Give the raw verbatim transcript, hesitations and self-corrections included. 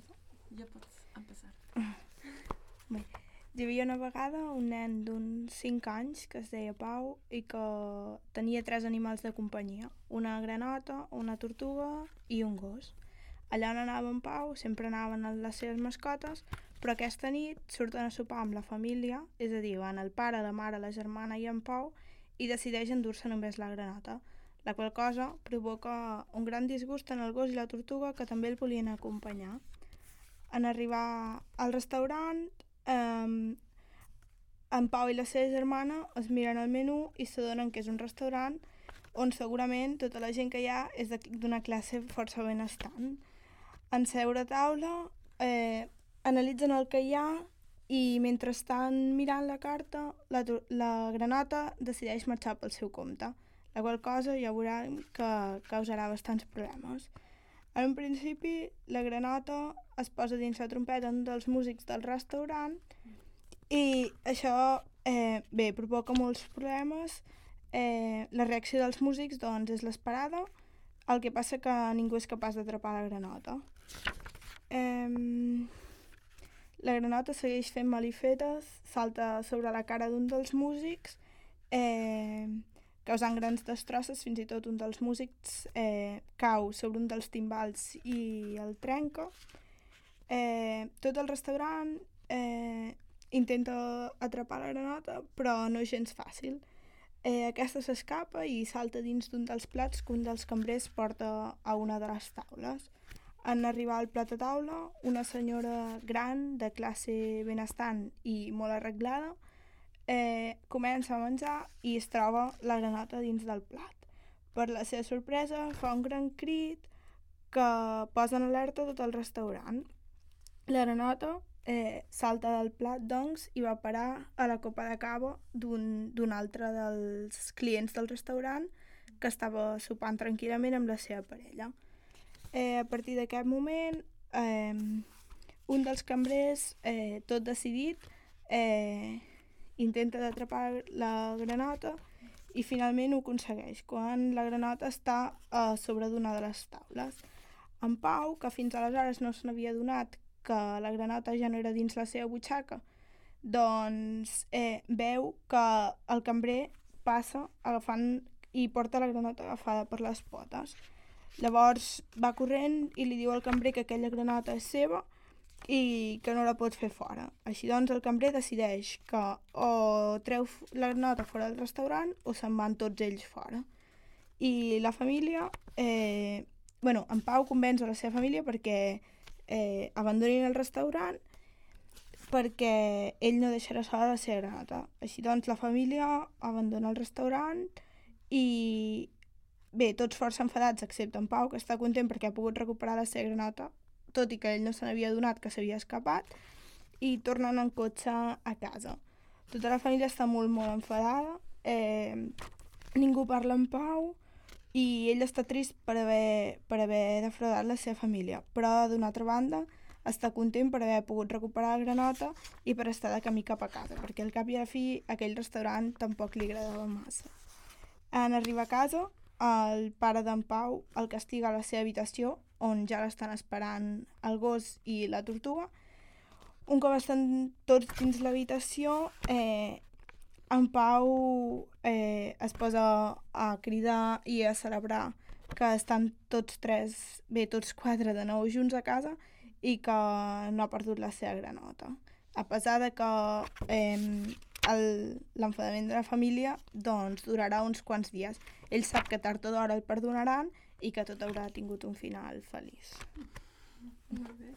Empieza. Ja pots empezar. Bé, hi havia una vegada un nen d'uns cinc anys que es deia Pau i que tenia tres animals de companyia, una granota, una tortuga i un gos. Allà on anava en Pau sempre anaven les seves mascotes, però aquesta nit surten a sopar amb la família, és a dir, van el pare, la mare, la germana i en Pau, i decideix endur-se només la granota, la qual cosa provoca un gran disgust en el gos i la tortuga que també el volien acompanyar. En arribar al restaurant, eh, en Pau i la seva germana es miren el menú i s'adonen que és un restaurant on segurament tota la gent que hi ha és d'una classe força benestant. En seure a taula, eh, analitzen el que hi ha i mentre estan mirant la carta, la, la granota decideix marxar pel seu compte, la qual cosa ja veurà que causarà bastants problemes. En un principi, la granota es posa dins la trompeta d'un dels músics del restaurant i això, eh, bé, provoca molts problemes. Eh, la reacció dels músics, doncs, és l'esperada, el que passa que ningú és capaç d'atrapar la granota. Eh, la granota segueix fent malifetes, salta sobre la cara d'un dels músics, eh, causant grans destrosses, fins i tot un dels músics eh, cau sobre un dels timbals i el trenca. Eh, tot el restaurant eh, intenta atrapar la granota, però no és gens fàcil. Eh, aquesta s'escapa i salta dins d'un dels plats que un dels cambrers porta a una de les taules. En arribar al plat a taula, una senyora gran, de classe benestant i molt arreglada, eh, comença a menjar i es troba la granota dins del plat. Per la seva sorpresa, fa un gran crit que posa en alerta tot el restaurant. La granota eh, salta del plat, doncs, i va parar a la copa de cava d'un, d'un altre dels clients del restaurant que estava sopant tranquil·lament amb la seva parella. Eh, a partir d'aquest moment, eh, un dels cambrers, eh, tot decidit, eh, intenta d'atrapar la granota i finalment ho aconsegueix, quan la granota està a sobre d'una de les taules. En Pau, que fins aleshores no se n'havia adonat que la granota ja no era dins la seva butxaca, doncs eh, veu que el cambrer passa agafant i porta la granota agafada per les potes. Llavors va corrent i li diu al cambrer que aquella granota és seva i que no la pot fer fora. Així doncs el cambrer decideix que o treu la granota fora del restaurant o se'n van tots ells fora. I la família, eh, bueno, en Pau convenç a la seva família perquè eh, abandonin el restaurant perquè ell no deixarà sola la seva granota. Així doncs la família abandona el restaurant i bé, tots força enfadats excepte en Pau, que està content perquè ha pogut recuperar la seva granota, tot i que ell no se n'havia adonat que s'havia escapat, i tornen en cotxe a casa. Tota la família està molt, molt enfadada, eh, ningú parla amb Pau i ell està trist per haver, per haver defraudat la seva família, però d'una altra banda està content per haver pogut recuperar la granota i per estar de camí cap a casa, perquè al cap i a la fi aquell restaurant tampoc li agradava massa. En arribar a casa, el pare d'en Pau el castiga a la seva habitació, on ja l'estan esperant el gos i la tortuga. Un cop estan tots dins l'habitació, eh, en Pau eh, es posa a cridar i a celebrar que estan tots tres, bé, tots quatre de nou junts a casa i que no ha perdut la seva granota. A pesar de que eh, l'enfadament de la família doncs durarà uns quants dies. Ell sap que tard o d'hora el perdonaran i que tot haurà tingut un final feliç. Molt bé.